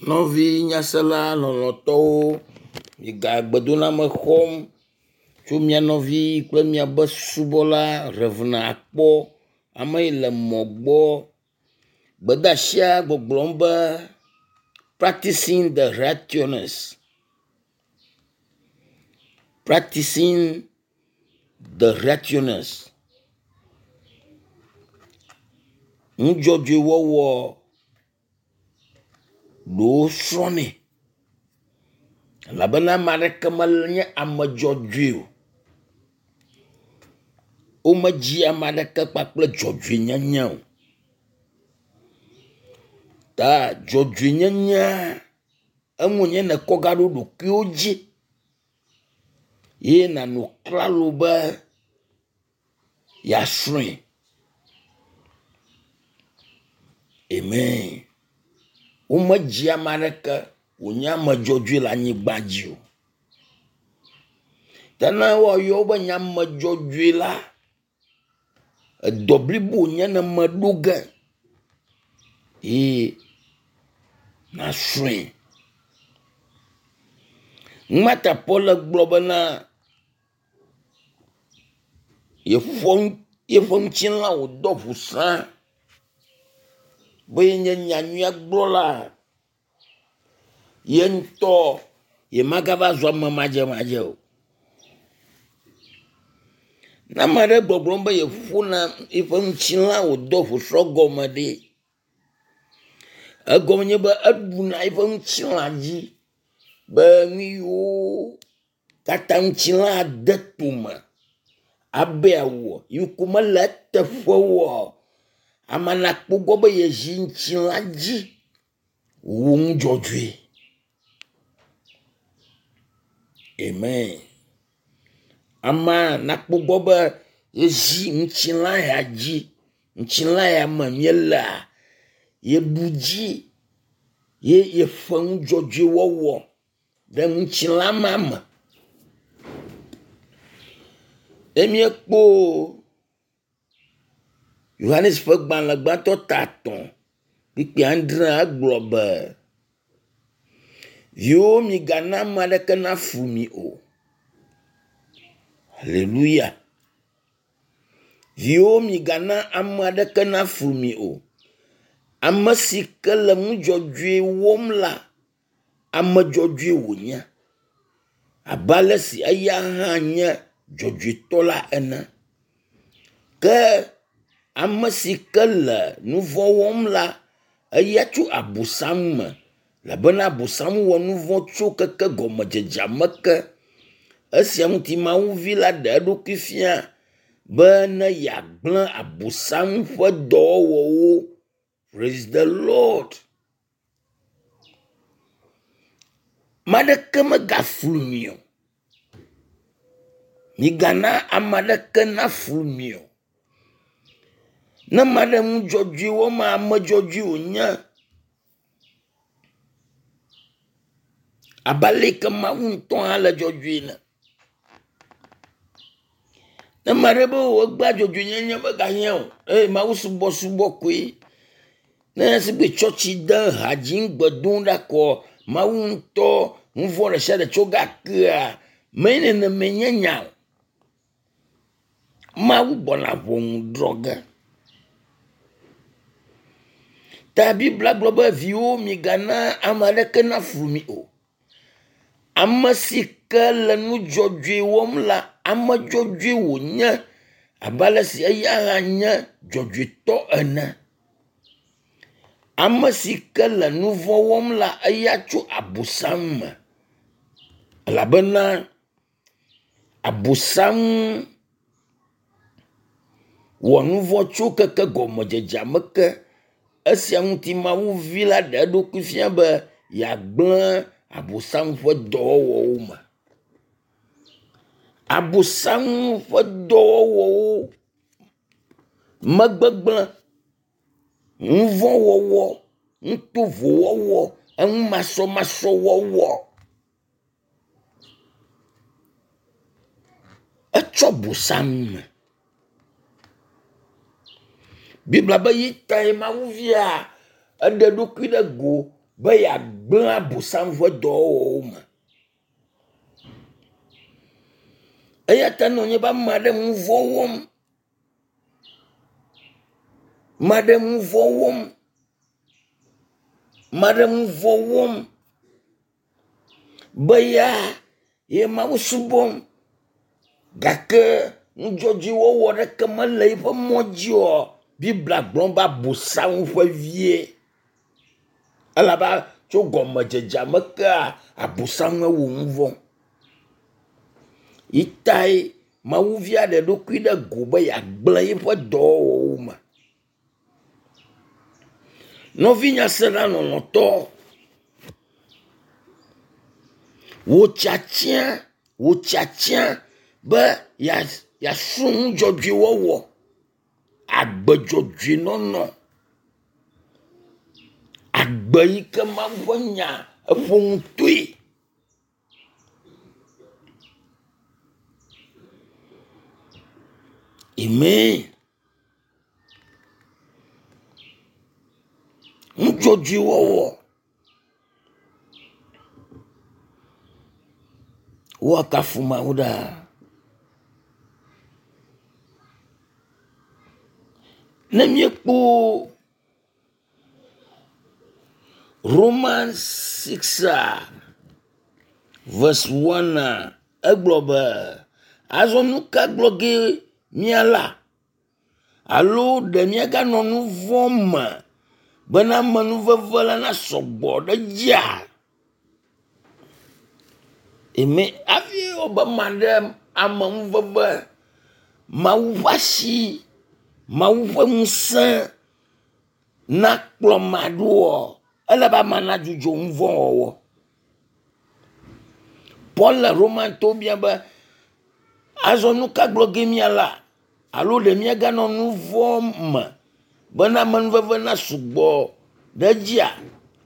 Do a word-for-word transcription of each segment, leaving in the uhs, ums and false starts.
Nɔvi nyasela lɔlɔ̃tɔwo, miga gbedoname xɔm tso mia nɔvi kple miabe subɔla Rev. Akpɔ ame yi le mɔ gbɔ. Gbedeasia gbɔgblɔm be practicing the righteousness. Practicing the righteousness. Nudzɔdzɔewɔwɔ ɖewo srɔ̃nɛ elabena ame aɖeke menye ame dzɔdzɔe o. Womedzi ame aɖeke kpakple dzɔdzɔenyenye o. Ta dzɔdzɔenyenyea eŋu wònye nèkɔ gaɖo ɖokuiwo dzi ye nànɔ klalo be yeasrɔ̃e. Amen. Womedzi ame aɖeke wònye ame dzɔdzɔe le anyigba dzi o. Ke ne woayɔ wo be nye ame dzɔdzɔe la, edɔ blibo wònye ne meɖo ge ye nàsrɔ̃e. Numata Paul gblɔ bena yeƒo yeƒe ŋutilã wòdɔ ʋu sã be yenye nyanyuia gblɔla. Ye ŋutɔ yemagava zu ame madzemadze o. Ne ame aɖe gbɔgblɔm be yeƒona yeƒe ŋutilã wòdɔ ʋusɔ gɔme ɖe, egɔme nye be eɖuna eƒe ŋutilã dzi be nu yiwo katã ŋutilã de tome abe yeawɔ yi ko mele eteƒe oa, ame nakpɔ gbɔ be yezi ŋutilã dzi wɔ nu dzɔdzɔe. Amen. Amea nakpɔ gbɔ be yezi ŋutilã ya dzi, ŋutilã ya me míelea, yeɖu dzi ye yeƒe nu dzɔdzɔe wɔwɔ ɖe ŋutilã ma me. Ne míekpɔ Yohanes ƒe gbalẽ gbãtɔ ta etɔ̃ kpukpui adre egblɔ be, Viwo migana ame aɖeke naflu mi o. Haleluya. Viwo migana ame aɖeke naflu mi o. Ame si ke le nu dzɔdzɔe wɔm la, ame dzɔdzɔe wònye abe ale si eya hã nye dzɔdzɔetɔ la ene. Ke ame si ke le nu vɔ̃ wɔm la, eya tso abosam me elabena abosam wɔ nu vɔ̃ tso keke gɔmedzedzea me ke. Esia ŋuti Mawu vi la ɖe eɖokui fia be ne yeagblẽ abosam ƒe dɔwɔwɔwo. Praise the Lord. Ame aɖeke megaflu mi o. Migana ame aɖeke naflu mi o. Ne ame aɖe nu dzɔdzɔe wɔm ame dzɔdzɔe wònye abe ale yi ke Mawu ŋutɔ hã le dzɔdzɔe ene. Ne ame aɖe be egbea dzɔdzɔenyenye megahiã o eye Mawu subɔsubɔ koe. Ne sigbe tsɔtsi de ha dzim gbe dom ɖa koa, Mawu ŋutɔ nu vɔ̃ ɖe sia ɖe tso gakea, menye nenemae nye nya o. Mawu gbɔna ʋɔnu drɔ̃ ge. Ta Biblia gblɔ be viwo migana ame aɖeke naflu mi o. Ame si ke le nu dzɔdzɔe wɔm la, ame dzɔdzɔe wònye abe ale si eya hã nye dzɔdzɔetɔ ene. Ame si ke le nu vɔ̃ wɔm la, eya tso abosam me elabena abosam wɔ nu vɔ̃ tso keke gɔmedzedzea me ke. Esia ŋuti Mawu vi la ɖe eɖokui fia be yeagblẽ abosam ƒe dɔwɔwɔwo me. Abosam ƒe dɔwɔwɔwo megbegblẽ, nu vɔ̃ wɔwɔ, nu tovo wɔwɔ, enu masɔmasɔ wɔwɔ. Etsɔ bosam me. Biblia be yi tae Mawu via eɖe eɖokui ɖe go be yeagblẽ Abosam ƒe dɔwɔwɔwo me. Eya ta ne wònye be ame aɖe nu vɔ̃ wɔm, ame aɖe nu vɔ̃ wɔm, ame aɖe nu vɔ̃ wɔm be ya ye Mawu subɔm gake nudzɔdzɔewɔwɔ ɖeke mele eƒe mɔ dzi oa, Biblia gblɔ be Abosam ƒe vie. Elabe tso gɔmedzedzea me kea Abosam wɔ nu vɔ̃. Yi tae Mawuvia ɖe eɖokui ɖe go be yeagblẽ eƒe dɔwɔwɔwo me. Nɔvi nyasela lɔlɔ̃tɔ, wò tiatia, wò tiatia be yeasrɔ̃ nu dzɔdzɔe wɔwɔ, agbe dzɔdzɔe nɔnɔ, agbe yi ke Mawu ƒe nya eƒo nu toe. Amen. Nu dzɔdzɔe wɔwɔ. Woakafu Mawu ɖaa. Ne míekpɔ Romans six verse one egblɔ be azɔ nu ka gblɔ ge míala? Alo ɖe míaganɔ nu vɔ̃ me bena amenuveve la nasɔgbɔ ɖe edzia? Amen. Hafi wobe maɖe amenuveve, Mawu ƒe asi, Mawu ƒe ŋusẽ nakplɔ ame ɖoa, ele be amea nadzudzɔ nu vɔ̃ wɔwɔ. Paul le Romantɔwo bia be azɔ nu ka gblɔ ge míala? Alo ɖe míaganɔ nu vɔ̃ me bena amenuveve nasugbɔ ɖe edzia?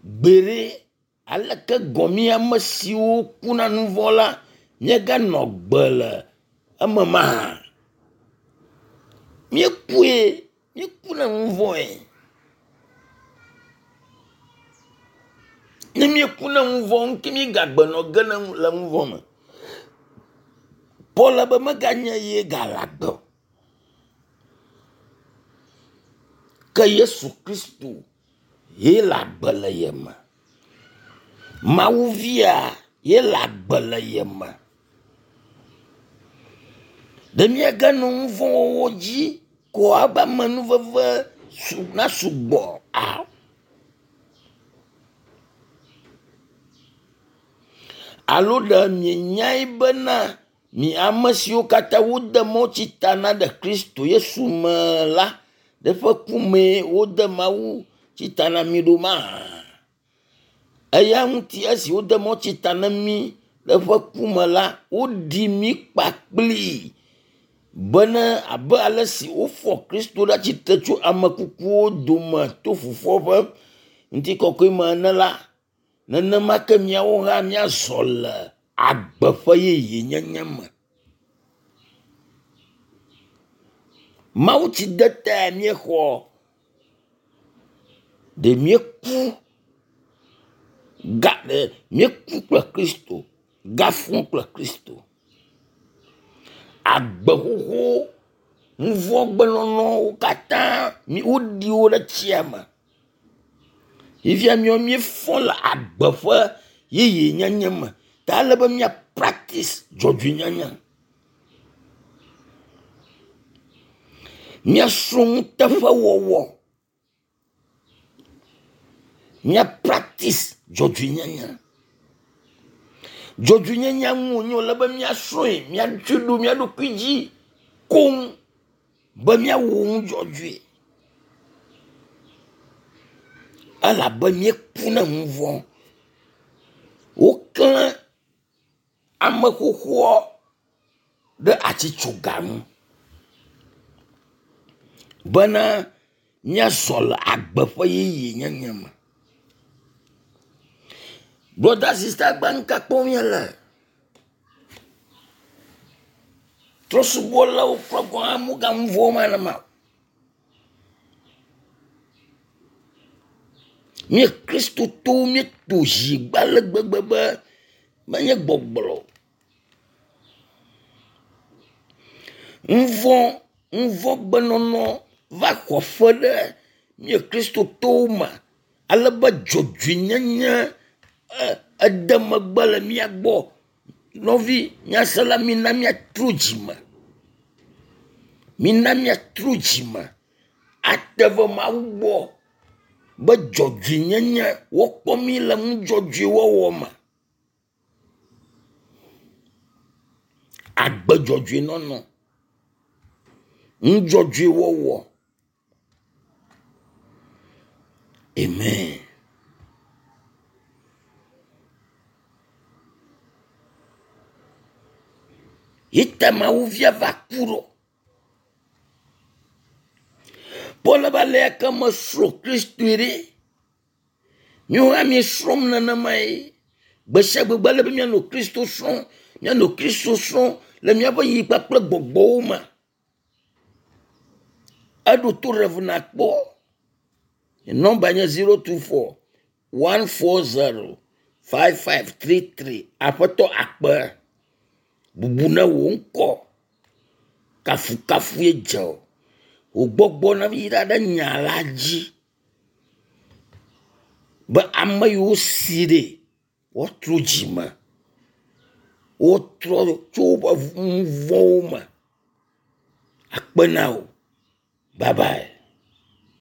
Gbeɖe, aleke gɔ̃ mí ame siwo kuna nu vɔ̃ la míaganɔ gbe le eme mahã? Míekue, míeku na nu vɔ̃e. Ne míeku na nu vɔ̃ ŋuti míegagbe nɔ ge le nu vɔ̃ me. Paul be meganye ye gale agbe o. Ke Yesu Kristo ye le agbe le ye me. Mawu via ye le agbe le ye me. Ɖe míaganɔ nu vɔ̃ wɔwɔ dzi ko abe amenuveve nasugbɔ a? Alo ɖe mienyae bena mi ame siwo katã wode mawutsi ta na ɖe Kristo Yesu me la, ɖe eƒe ku mee wode mawutsi ta na mi ɖo mahã? Eya ŋuti esi wode mawutsi ta na mí le eƒe ku me la, woɖi mí kpakplii bena abe ale si wofɔ Kristo ɖe atsitre tso ame kukuwo dome to Fofoa ƒe ŋutikɔkɔe me ene la, nenema ke míawo hã míazɔ le agbe ƒe yeyenyenye me. Mawutsi de tae míexɔ. Ɖe míeku ga ɖe míeku kple Kristo, gafɔ kple Kristo. Agbe xoxo, nu vɔ̃ gbenɔnɔwo katã woɖi wo ɖe tsia me. Fifia míawo míefɔ le agbe ƒe yeyenyenye me. Ta ele be mía practice dzɔdzɔenyenye. Míasrɔ̃ nuteƒewɔwɔ. Mía practice dzɔdzɔenyenye. Dzɔdzɔenyenye ŋu wònye wòle be míasrɔ̃e, míatsɔe ɖo mía ɖokui dzi koŋ be míawɔ nu dzɔdzɔe. Elabe míeku na nu vɔ̃. Woklẽ ame xoxoa ɖe atitsoga ŋu bena míazɔ le agbe ƒe yeyenyenye me. Brother, sister, gba nu ka kpɔm míele? Trɔ̃subɔlawo kura gɔ̃ hã woganu vɔ̃ ma nenema o. Mí Kristotɔwo míeto zi gbe ale gbegbe be menye gbɔgblɔ o. Nuvɔ nuvɔgbenɔnɔ va xɔ aƒe ɖe mía Kristotɔwo me ale be dzɔdzɔenyenye ede megbe le mía gbɔ. Nɔvi nyasela mina míatrɔ dzime. Mina míatrɔ dzime ate va Mawu gbɔ be dzɔdzɔenyenye wokpɔ mí le nu dzɔdzɔe wɔwɔ me. Agbe dzɔdzɔe nɔnɔ, nu dzɔdzɔe wɔwɔ. Amen. Yi ta Mawu via va ku ɖo. Paul be ale ke mesrɔ̃ Kristoe ɖe. Míawo hã míesrɔ̃m nenemae. Gbe sia gbe ele be míanɔ Kristo srɔ̃m, míanɔ Kristo srɔ̃m le míaƒe yi kpakple gbɔgbɔwo me. Eɖo to Rev nakpɔ. Nɔmba nye zero two four one four zero five five three three. Aƒetɔ akpe. Bubu ne wò ŋkɔ. Kafukafue dze o. Wò gbɔgbɔ na yra ɖe nya la dzi be ame yiwo si ɖe woatrɔ dzime. Wotrɔ tso woƒe nu vɔ̃wo me. Akpe na wò. Bye bye.